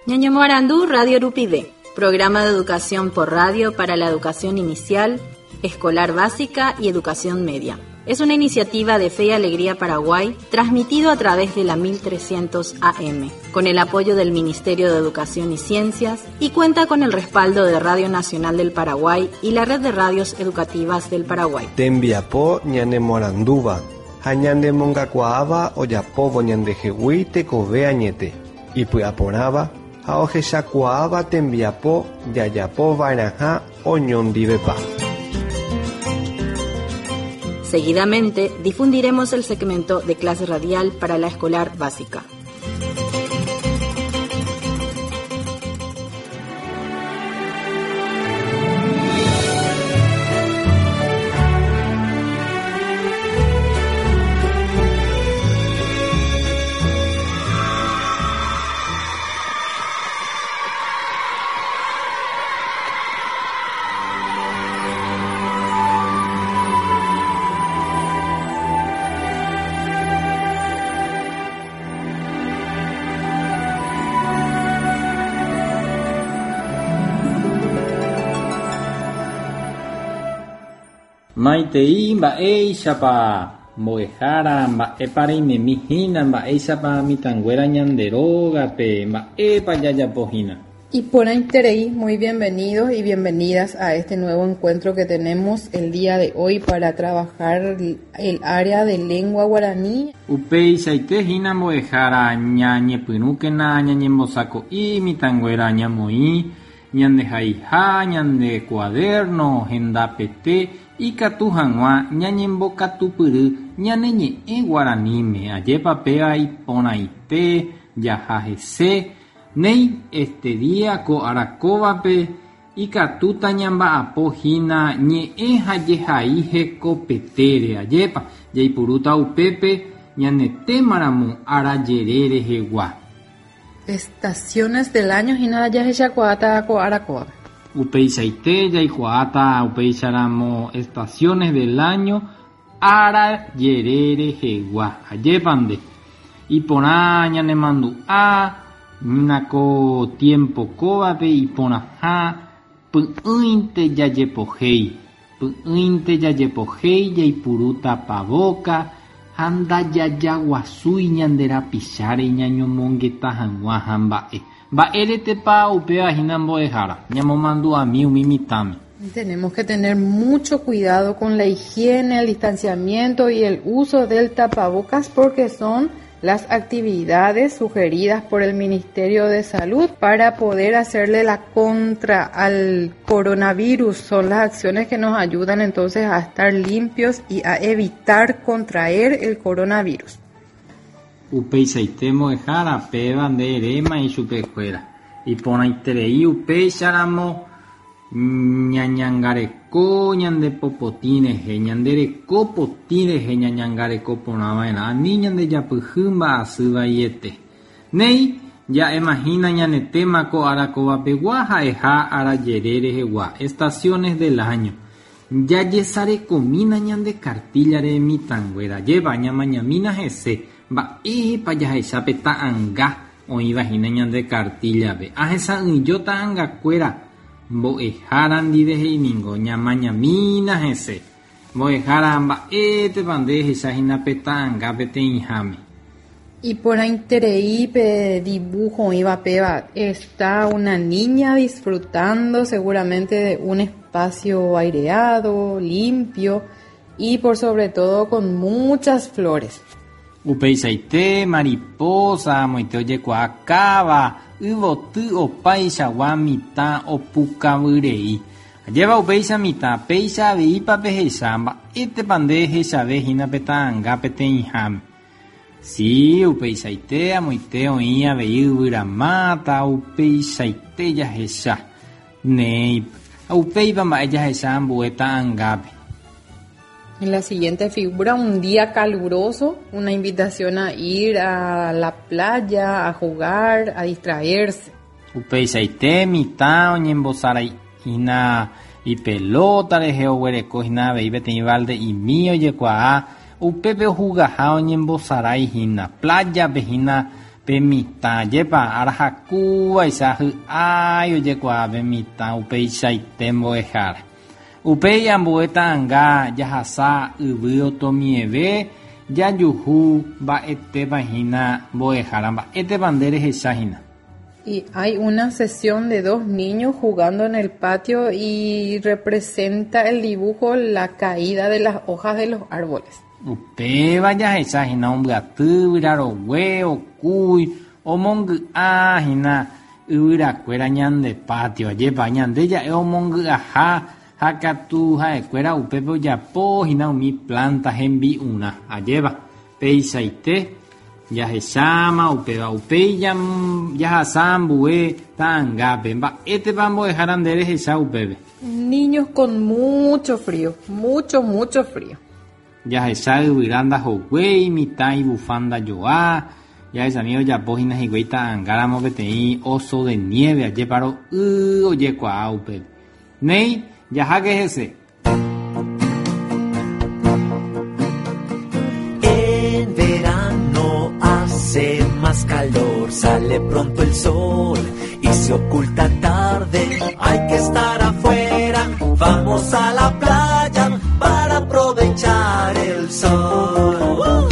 Ñañemoarandu Radio Rupive, programa de educación por radio para la educación inicial, escolar básica y educación media. Es una iniciativa de Fe y Alegría Paraguay, transmitido a través de la 1300 AM, con el apoyo del Ministerio de Educación y Ciencias y cuenta con el respaldo de Radio Nacional del Paraguay y la Red de Radios Educativas del Paraguay. Tembiapo ñanemoarandúva ha ñanemongakuaáva ojapóvo ñandehegui tekove añete, ipy'aporãva ha ohechakuaáva tembiapo jajapova'erãha oñondivepa. Seguidamente difundiremos el segmento de clase radial para la escolar básica. Maitei mba'éichapa mbo'ehára, mba'épa reimemi hína, mba'éichapa mitãnguéra ñande rógape, mba'épa jajapo hína. Iporãiterei, muy bienvenidos y bienvenidas a este nuevo encuentro que tenemos el día de hoy para trabajar el área de lengua guaraní. Upeichaite hína mbo'ehára ñañepyrũkena ñañembosako'i mitãnguéra ñamoĩ ñandehaiha ñande cuaderno hendapete ikatu hag̃ua ñañembokatupyry ñane ñe'ẽ guaraníme ajépa péva iporãite jaha hese Néi, este día ko ára kóvape ikatúta ñamba'apo hína ñe'ẽ ha jehai hekopetére, ajépa jaipurúta upépe ñane témaramo ára jere rehegua. Estaciones del año hína jahechakuaáta ko ára kóvape. Upeichaite jaikuaáta upéicharamo estaciones del año ára jere rehegua. Ajépa nde. Iporã ñanemandu'a hína ko tiempo kóvape iporãha py'ỹinte jajepohéi. Py'ỹinte jajepohéi jaipuru tapavóka ha ndajajaguasúi ñande rapicháre ñañomongeta hag̃ua ha mba'e. Mba'éretepa upéva hína mbo'ehára, ñamomandu'ami umi mitãme. Tenemos que tener mucho cuidado con la higiene, el distanciamiento y el uso del tapabocas porque son las actividades sugeridas por el Ministerio de Salud para poder hacerle la contra al coronavirus. Son las acciones que nos ayudan entonces a estar limpios y a evitar contraer el coronavirus. Upeichaite mbo'ehára péva nde eréma ichupekuéra. Iporãiterei upéicharamo ñañangareko ñande popotĩ rehe, ñande reko potĩ rehe ñañangareko porã va'erã, ani ñande japyhy mba'asy vaiete. Néi, ja'emahína ñane téma ko ára kovapegua ha'eha ára jere rehegua, estaciones del año. Jajesarekomína ñande kartíllare mitãnguéra, ajépa ñamañamína hese, mba'épa jahecha pe ta'anga oĩva hína ñande kartíllape. Ahesa'ỹijo ta'angakuéra mbo'ehára ndive he'i ningo ñamañamína hese. Mbo'ehára mba'étepa nde ehecha hína pe ta'anga peteĩháme. Iporãiterei pe dibujo oĩva péva está una niña disfrutando seguramente de un espacio aireado, limpio y por sobre todo con muchas flores. Upeichaite, mariposa amoite ojekuaa káva, yvoty opaichagua mitã opukavyrei. Ajépa upéicha mitã, péicha aveípa pehecha, mba'étepa nde ehechave hína pe ta'anga peteĩháme. Si, upeichaite amoite oĩ avei yvyramáta, upeichaite jahecha. Néi, ha upéipa mba'e jahecha ambue ta'angápe. En la siguiente figura, un día caluroso, una invitación a ir a la playa, a jugar, a distraerse. Upeichaite mitã oñembosarái hína ipelóta rehe oguereko hína avei peteĩ valde'imi ojekuaa upépe ohugaha oñembosarái hína, playa-pe hína Pe mitã, ajépa arahakúvaicha hy'ái ojekuaa pe mitã upeichaite mbo'ehára. Upéi ambue ta'anga jahasa yvy otomieve jajuhu mba'etépa hína mbo'ehára mba'étepa nde rehecha hína. Y hay una sesión de dos niños jugando en el patio y representa el dibujo la caída de las hojas de los árboles. Upéva jahecha hína ombyaty yvyra rogue, okúi, omongy'a hína yvyrakuéra ñande patio. Ajépa ñande ja'e omongy'aha ha katu ha'ekuéra upépe ojapo hína umi planta hembi'urã. Ajépa peichaite jahecháma upéva. Upéi jahasa ambue ta'angápe. Mba'étepa mbo'ehára nde rehecha upépe. Niños con mucho frío, mucho, mucho frío. Jahecha yvyra ndahoguéi, mitã ibufanda joa, jahechami ojapo hína hikuái ta'angáramo peteĩ oso de nieve, ajépa ro'y ojekuaa upépe. Néi, jaháke hese. En verano hace más calor, sale pronto el sol y se oculta tarde. Hay que estar afuera, vamos a la playa para aprovechar el sol.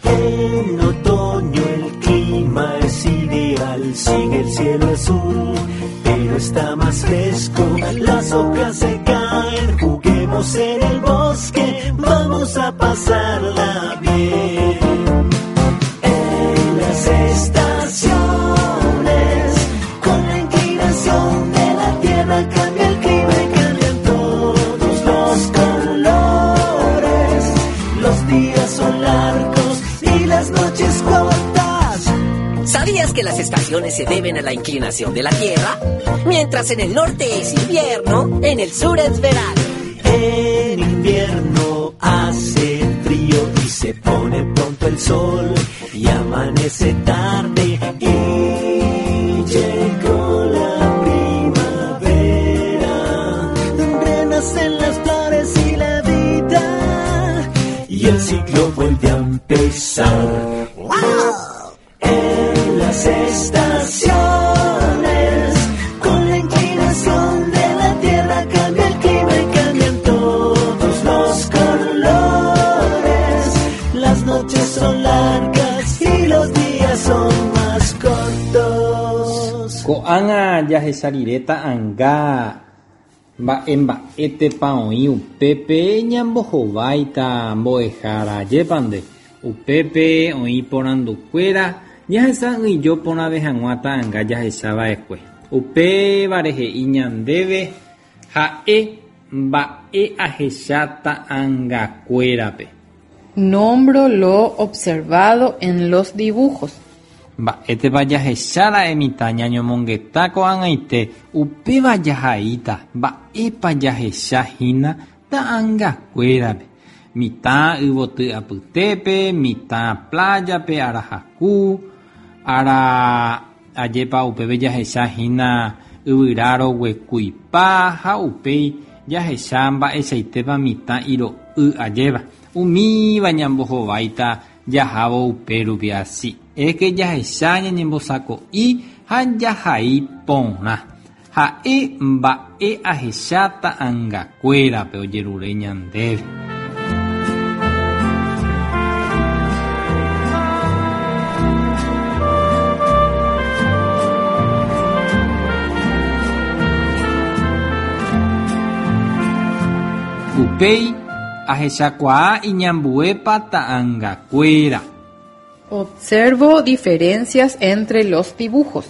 En otoño el clima es ideal, sigue el cielo azul, pero está más fresco. Las hojas se caen, juguemos en el bosque, vamos a pasarla bien. En las estaciones, con la inclinación de la tierra cambia el clima y cambian todos los colores. Los días son largos y las noches cortas. ¿Sabías que las estaciones se deben a la inclinación de la Tierra? Mientras en el norte es invierno, en el sur es verano. En invierno hace frío y se pone pronto el sol y amanece tarde y llegó la primavera. Renacen las flores y la vida y el ciclo vuelve a empezar. En las estaciones, con la inclinación de la tierra cambia el clima y cambian todos los colores. Las noches son largas y los días son más cortos. Ko'ág̃a jahecha rire ta'anga mba'e mba'étepa oĩ upépe ñambohováita mbo'ehára. Ajépa nde, upépe oĩ porandukuéra jahesa'ỹijo porãve hag̃ua ta'anga jahechava'ekue. Upévare he'i ñandéve ha'e mba'e ahecha ta'angakuérape. Nombro lo observado en los dibujos. Mba'étepa jahechára'e mitã ñañomongeta ko'ag̃aite upéva jahaíta mba'épa jahechahína ta'angakuérape. Mitã yvoty apytépe, mitã plájape, arahaku, ára ajépa upépe jahechahína yvyra roguekuipa ha upéi jahecha mba'eichaitépa mitã iro'y ajéva. Umíva ñambohováita jahávo upérupi así. Es que jahecha ñañembosako'i ha jahai porã. Ha'e mba'e ahecha ta'angakuérape ojerure ñandéve. Upéi ahechakuaa iñambuépa ta'angakuéra. Observo diferencias entre los dibujos.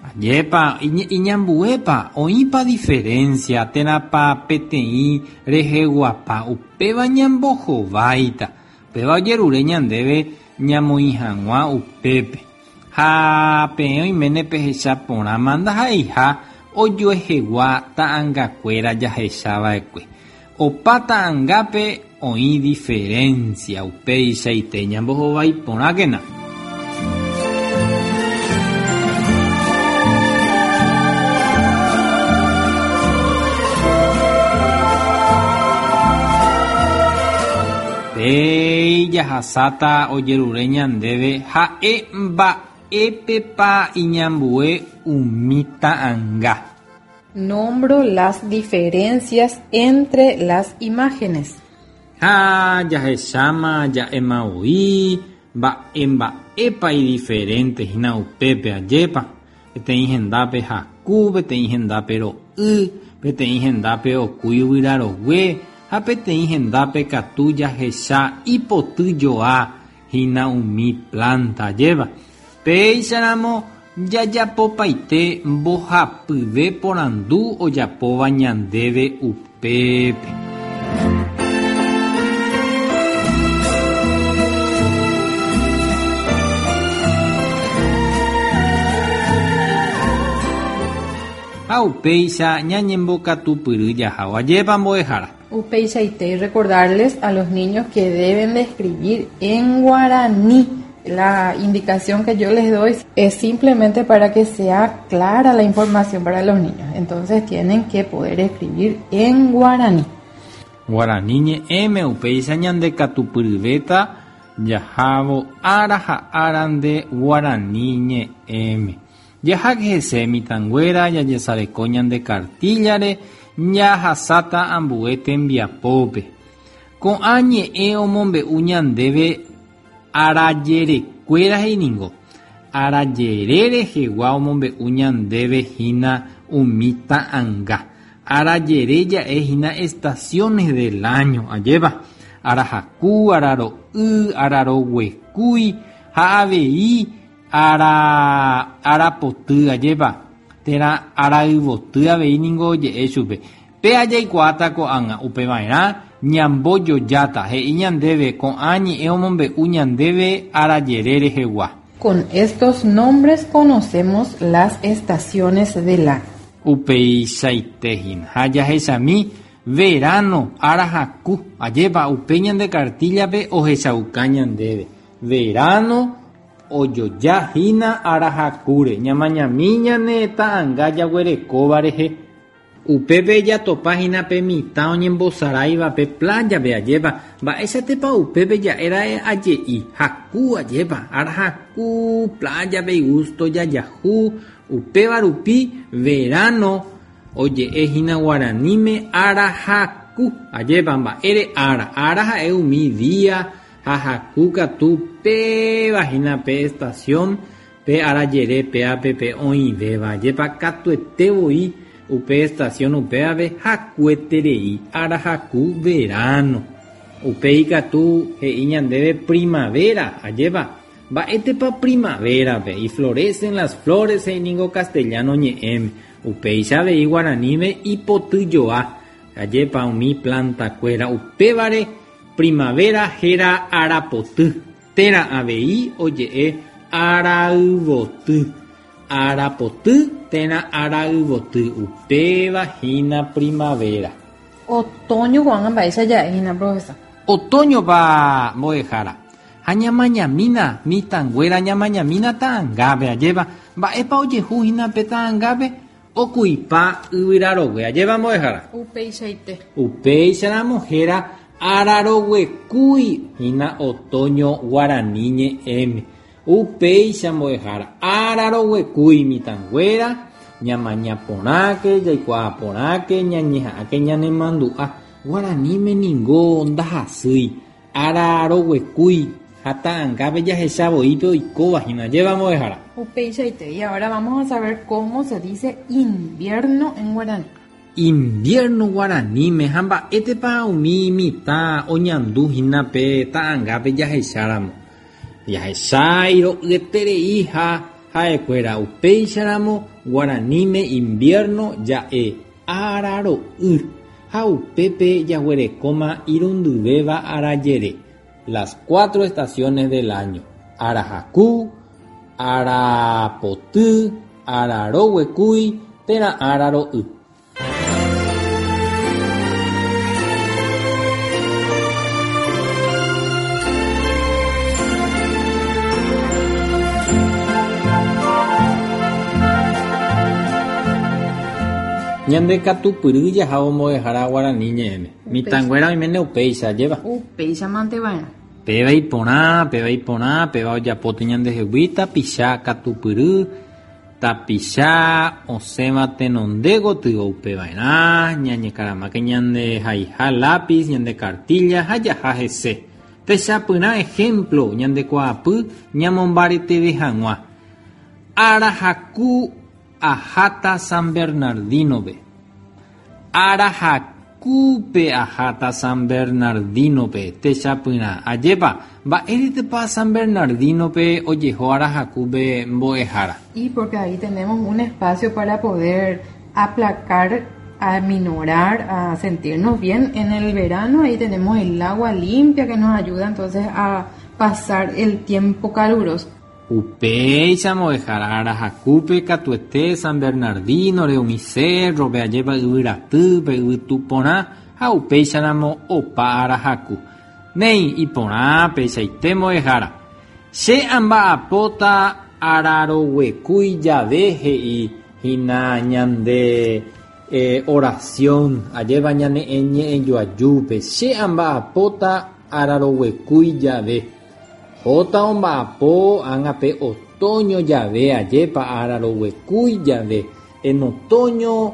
Ajépa, iñambuépa, oĩpa diferencia térãpa peteĩ reheguapa upéva ñambohováita. Upéva ojerure ñandéve ñamoĩ hag̃ua upépe. Ha peẽ oiméne pehecha porãma ndaha'eiha ojuehegua ta'angakuéra jahechava'ekue. Opa ta'angápe oĩ diferencia upeichaite ñambohovái porãkena. Péi jahasáta ojerure ñandéve ha'e mba'e. Mba'épepa iñambue umi ta'anga. Nombro las diferencias entre las imágenes. Ha jahecháma ja'éma voi mba'e mba'épa idiferente hína upépe, ajépa? Peteĩ hendápe haku, peteĩ hendápe ro'y, peteĩ hendápe okúi yvyra rogue ha peteĩ hendápe katu jahecha ipoty joa hína umi plánta, ajépa? Péicharamo jajapopaite mbohapyve porandu ojapóva ñandéve upépe. Ha upéicha ñañembokatupyry jahávo. Ajépa mbo'ehára? Upeichaite y recordarles a los niños que deben de escribir en guaraní. La indicación que yo les doy es simplemente para que sea clara la información para los niños. Entonces tienen que poder escribir en guaraní. Guarani ñe'ẽme upéicha ñandekatupyryvéta jahávo ára ha árante guarani ñe'ẽme. Jaháke hese mitãnguéra jajesareko ñande kartíllare jahasáta ambue tembiapópe. Ko'ã ñe'ẽ omombe'u ñandéve arajerekuéra he'i ningo, arajere rehegua omombe'u ñandéve hína umi ta'anga. Arajere ja'e hína estaciones del año, ajépa, arahaku, araro'y, araroguekúi ha avei Ára ára poty, ajépa, térã árayvoty avei ningo oje'e chupe. Péa jaikuaáta ko'ág̃a, upeva'erã ñambojojáta, he'i ñandéve ko'ã ñe'ẽ omombe'u ñandéve arajere rehegua. Con estos nombres conocemos las estaciones del año. Upeichaite hína. Ha jahechami verano, ára haku, ajépa, upe ñande kartíllape ohechauka ñandéve. Verano ojoja hína ára hakúre, ñamañami ñane ta'anga jaguerekóva rehe. Upépe jatopa hína pe mitã oñembosaráiva pe playa-pe, ajépa, mba'éichatepa upépe ja'éra'e aje'i, haku, ajépa, ára haku, playa-pe igusto jajahu, upéva rupi verano oje'e hína guaraníme ára haku, ajépa, mba'ére ára, ára ha'e umi día Ha haku katu péva hína pe estación, pe arajere péape pe oĩvéva. Ajépa katuete voi upe estación upévape hakueterei ára haku verano. Upéi katu he'i ñandéve primavera, ajépa? Mba'étepa primavera-pe? Y florecen las flores he'i ningo castellano ñe'ẽme. Upéicha avei guaraníme ipotyjoa, ajépa umi planta-kuéra. Upévare Primavera héra arapoty, térã avei oje'e arayvoty, arapoty térã arayvoty, upéva hína primavera. Otoño ko'ág̃a mba'éicha ja'e hína, profesor. Otoñopa mbo'ehára. Ha ñamañamína mitãnguéra ñamañamína ta'angápe, ajépa, mba'épa ojehu hína pe ta'angápe? Okuipa yvyra rogue. Ajépa mbo'ehára? Upeichaite. Upéicharamo héra araroguekúi hína otoño guarani ñe'ẽme. Upéicha mbo'ehára, araroguekúi mitãnguéra, ñamaña porãke, jaikuaa porãke, ñañeha'ãke ñanemandu'a. Guaraníme ningo ndahasýi. Ára roguekúi ha ta'angápe jahecha voi pe oikóva hína. Ajépa mbo'ehára? Upeichaite, y ahora vamos a saber cómo se dice invierno en guaraní. Invierno guaraníme ha mba'étepa umi mitã oñandu hína pe ta'angápe jahecháramo. Jahecha iro'yeterei ha ha'ekuéra upéicharamo guaraníme invierno ja'e Ára ro'y, ha upépe jaguerekóma irundyvéva arajere, las cuatro estaciones del año, ára haku, ára poty, ára roguekúi térã ára ro'y. Ñande katupyry jahávo mbo'ehára guarani ñe'ẽme. Mitãnguéra oiméne upéicha, ajépa? Upéicha mante va'erã. Péva iporã, péva iporã, péva ojapóta ñandehegui tapicha katupyry, tapicha osẽva tenonde gotyo upeva'erã, ñañekaramáke ñande haiha lápiz, ñande kartílla ha jaha hese. Techapyrã ejemplo ñande kuaapy ñamombareteve hag̃ua. Ára haku aháta San Bernardino-pe. Ára hakúpe aháta San Bernardino-pe, techapyrã. Ajépa, mba'éretepa San Bernardino-pe ojeho ára hakúpe mbo'ehára? Y porque ahí tenemos un espacio para poder aplacar, aminorar, a sentirnos bien en el verano. Ahí tenemos el agua limpia que nos ayuda entonces a pasar el tiempo caluroso. Upéicha mbo'ehára ára hakúpe katuete San Bernardino-re umi cerro-pe ajépa yvyratýpe yvytu porã ha upéicharamo opa ára haku. Néi, iporã peichaite mbo'ehára. Che amba'apóta araroguekúi jave he'i hína ñande oración ajépa ñane ñe'ẽjoajúpe. Che amba'apóta araroguekúi jave. Hóta omba'apo ág̃a pe otoño jave ajépa araroguekúi jave, en otoño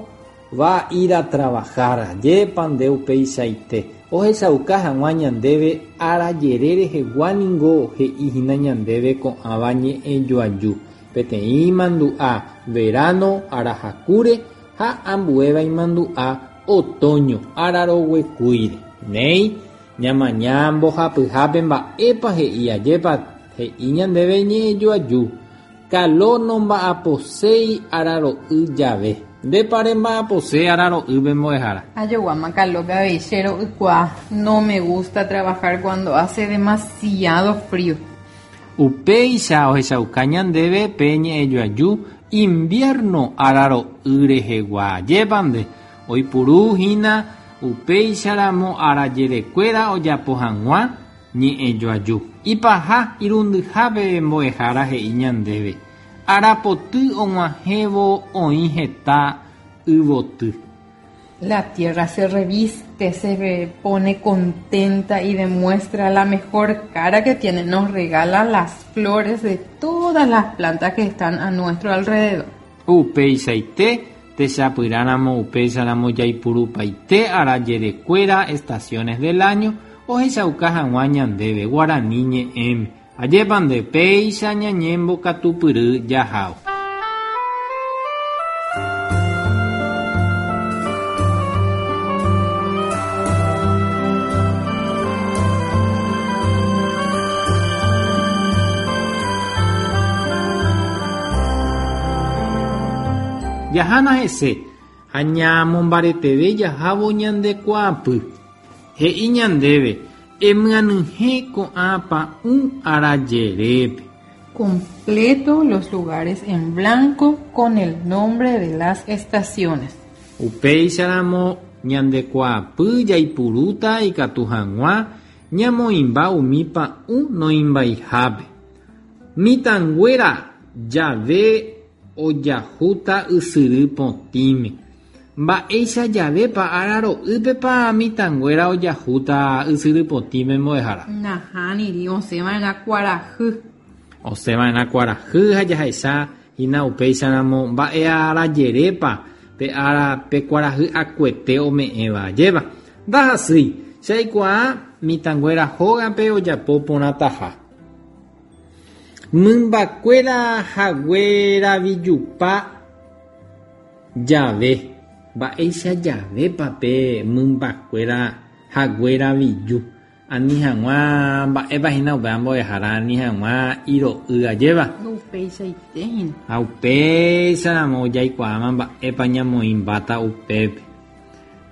va a ir a trabajar, ajépa nde upeichaite. Ohechauka hag̃ua ñandéve ára jere rehegua ningo he'i hína ñandéve ko'ãva ñe'ẽjoaju, peteĩ imandu'a verano arahakúre ha ambuéva imandu'a otoño araroguekúire. Néi, Ñamaña mbohapyhápe mba'épa he'i ajépa he'i ñandéve ñe'ẽjoaju, Kalo nomba'aposéi araro'y jave. Ndépa remba'apose araro'ýpe mbo'ehára? Ajoguáma Kalópe avei che ro'ykuaa, no me gusta trabajar cuando hace demasiado frío. Upéicha ohechauka ñandéve pe ñe'ẽjoaju invierno araro'y rehegua. Ajépa nde? Oipuru hína upéicharamo arajerekuéra ojapo hag̃ua ñe'ẽjoaju. Ipaha irundyhápe mbo'ehára he'i ñandéve, Arapoty og̃uahẽvo oĩ heta yvoty. La tierra se reviste, se pone contenta y demuestra la mejor cara que tiene, nos regala las flores de todas las plantas que están a nuestro alrededor. Upeichaite, techapyrãramo upéicharamo jaipurupaite arajerekuéra estaciones del año ohechauka hag̃ua ñandéve guarani ñe'ẽme. Ajépa nde péicha ñañembokatupyry jahávo. Jahána hese ha ñamombareteve jahávo ñande kuaapy. He'i ñandéve, Emyanyhẽ ko'ã pa'ũ arajerépe. Completo los lugares en blanco con el nombre de las estaciones. Upéicharamo ñande kuaapy jaipurúta ikatu hag̃ua ñamoĩmba umi pa'ũ noĩmbaihápe. Mitãnguéra jave ojahúta ysyry potĩme. Mba'éicha javépa ára ro'ýpepa mitãnguéra ojahúta ysyry potĩme mbo'ehára? Nahániri, osẽva'erã kuarahy. Osẽva'erã kuarahy ha jahecha hína upéicharamo mba'e ára jerépa pe ára pe kuarahy akuete ome'ẽva. Ajépa? Ndahasýi, che aikuaa mitãnguéra hógape ojapo porãtaha. Mymbakuéra hagueravijupa jave. Mba'éicha javépa pe mymbakuéra hagueraviju ani hag̃ua mba'épa hína upéva mbo'ehára ani hag̃ua iro'y ajéva? Upeichaite hína. Ha upéicharamo jaikuaáma mba'épa ñamoĩmbáta upépe.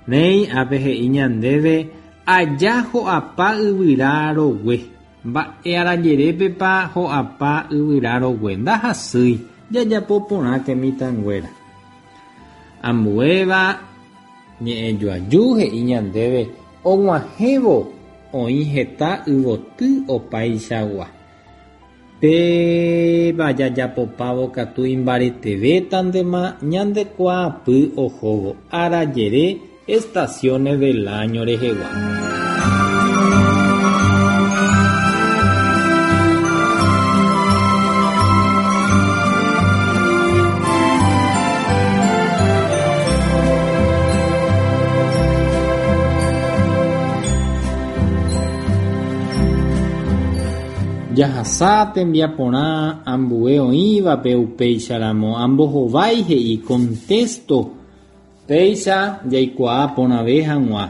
Néi, ápe he'i ñandéve aja ho'apa yvyra rogue. Mba'e arajerépepa ho'apa yvyra rogue ndahasýi jajapo porãke mitãnguéra. Ambuéva ñe'ẽjoaju he'i ñandéve og̃uahẽvo oĩ heta yvoty opaichagua. Péva jajapopávo katu imbaretevétantema ñande kuaapy ohóvo arajere estaciones del año rehegua. Jahasa tembiaporã ambue oĩvape upéicharamo ambohovái he'i contesto péicha jaikuaa porãve hag̃ua.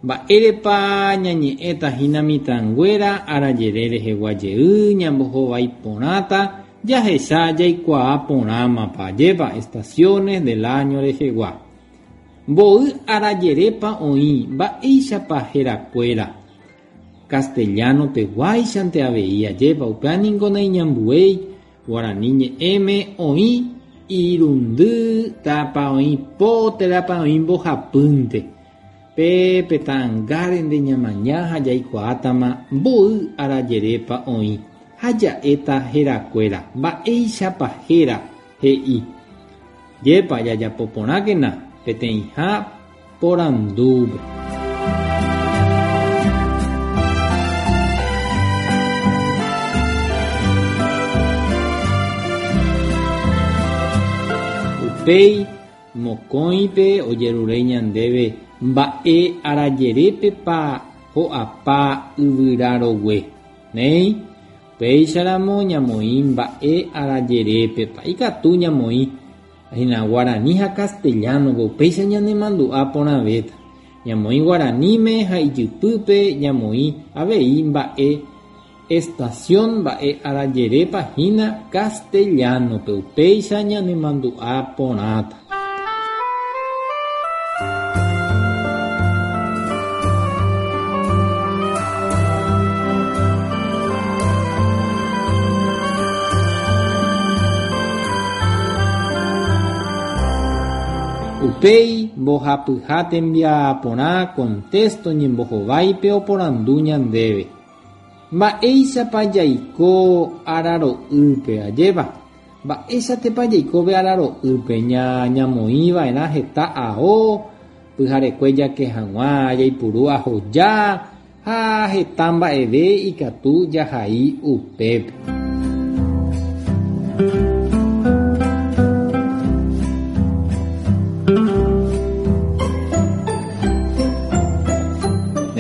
Mba'érepa ñañe'ẽta hína mitãnguéra arajere rehegua jey ñambohovái porãta jahecha jaikuaa porãmapa ajépa estaciones del año rehegua. Mboy arajerépa oĩ mba'éichapa herakuéra. Castellano-pe guáichante avei ajépa upéva niko naiñambuéi guarani ñe'ẽme oĩ irundy térãpa oĩ po térãpa oĩ mbohapýnte. Pe ta'angárente ñamaña ha jaikuaátama mboy arajerépa oĩ ha ja'éta herakuéra mba'éichapa héra he'i. Jépa jajapo porãkena peteĩha porandúpe. Upéi mokõipe ojerure ñandéve mba'e arajerépepa ho'apa yvyra rogue. Néi, upéicharamo ñamoĩ mba'e arajerépepa. Ikatu ñamoĩ hína guarani ha castellano-pe upéicha ñanemandu'a porãvéta. Ñamoĩ guaraníme ha ijypýpe ñamoĩ avei mba'e estación mba'e arajerépa hína castellano-pe upéicha ñanemandu'a porãta. Upéi mbohapyha tembiaporã contexto ñembohováipe oporandu ñandéve. Mba'éichapa jaiko araro'ýpe ajépa. Mba'éichatepa jaikove araro'ýpe ñamoĩva'erã heta ao, pyharekue jake hag̃ua jaipuru ahoja ha heta mba'eve ikatu jahai upépe.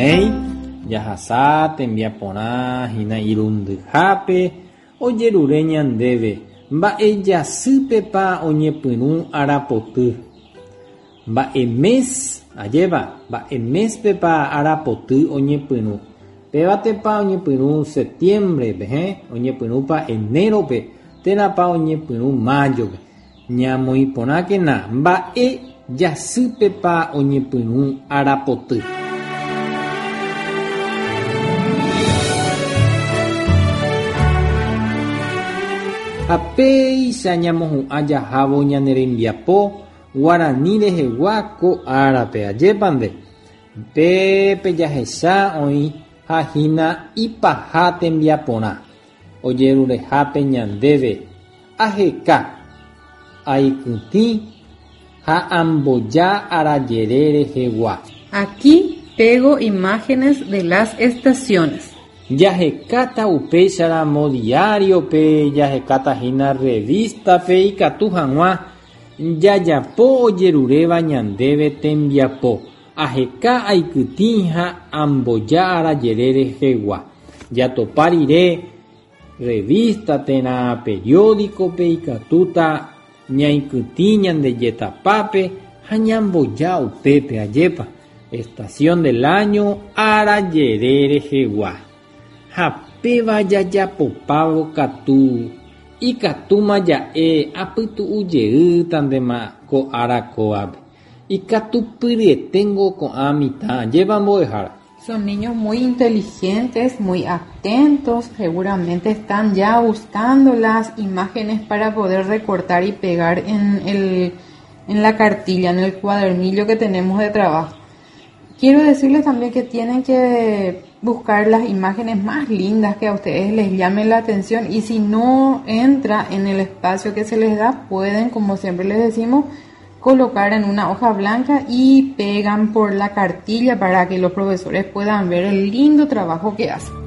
Néi, jahasa tembiaporã hína irundyhápe ojerure ñandéve mba'e jasýpepa oñepyrũ arapoty. Mba'e mes, ajépa, mba'e mespepa arapoty oñepyrũ. Pévatepa oñepyrũ septiembre-pe, oñepyrũpa enero-pe, térãpa oñepyrũ mayo-pe. Ñamoĩ porãkena mba'e jasýpepa oñepyrũ arapoty. Ha péicha ñamohu'ã jahávo ñane rembiapo guarani rehegua ko árape ajépa nde. Pépe jahecha oĩ ha hína ipaha tembiaporã ojerurehápe ñandéve aheka, aikytĩ ha amboja arajere rehegua. Aquí pego imágenes de las estaciones. Jahekáta upéicharamo diario-pe, jahekáta hína revista-pe ikatu hag̃ua jajapo ojeruréva ñandéve tembiapo. Aheka aikytĩ ha amboja arajere rehegua. Jatopa rire revista térã periódico-pe ikatúta ñaikytĩ ñandejetapápe ha ñamboja upépe ajépa. Estación del año arajere rehegua. Ha péva jajapopávo katu ikatúma ja'e apytu'ujeýtantema ko ára kóvape. Ikatupyryeténgo ko'ã mitã ajépa mbo'ehára. Son niños muy inteligentes, muy atentos, seguramente están ya buscando las imágenes para poder recortar y pegar en la cartilla, en el cuadernillo que tenemos de trabajo. Quiero decirles también que tienen que buscar las imágenes más lindas que a ustedes les llamen la atención y si no entra en el espacio que se les da, pueden, como siempre les decimos, colocar en una hoja blanca y pegan por la cartilla para que los profesores puedan ver el lindo trabajo que hacen.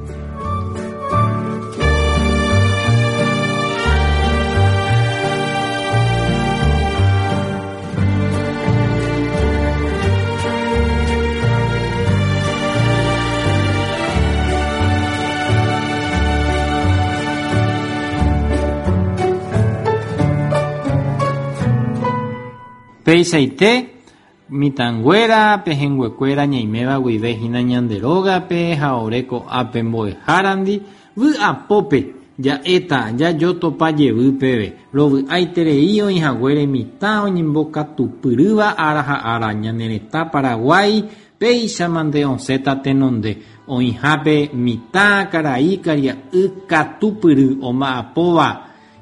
Peichaite, mitãnguéra, pehẽnguekuéra ñaiméva guive hína ñande rógape ha ore ko'ápe mbo'ehárandi, vy'apópe ja'éta jajotopa jevy peve. Rovy'aiterei oĩhaguére mitã oñembokatupyrýva ára ha ára ñane retã Paraguái péichamante osẽta tenonde, oĩhápe mitã, karai, karia'y katupyry omba'apóva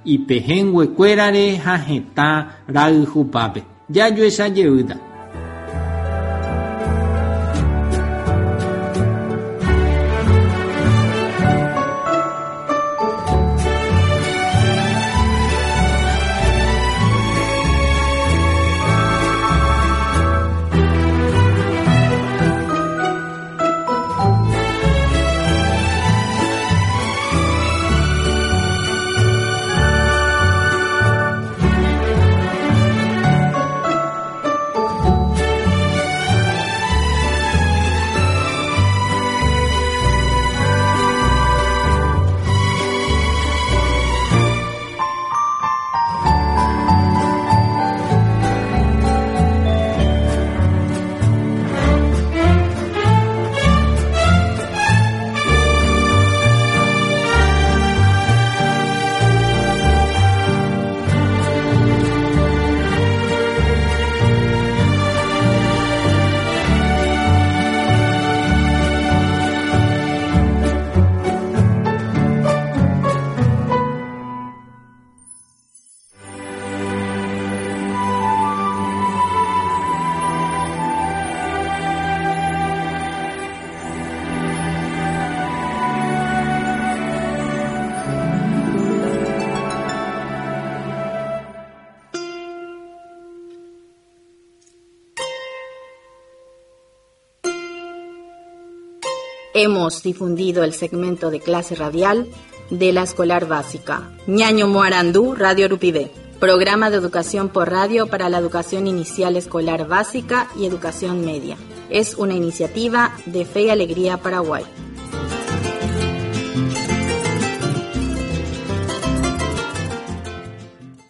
ipehẽnguekuérare ha hetã rayhupápe. Jajuecha jeýta. Hemos difundido el segmento de clase radial de la escolar básica. Ñaño Moarandú, Radio Rupivé. Programa de educación por radio para la educación inicial escolar básica y educación media. Es una iniciativa de Fe y Alegría Paraguay.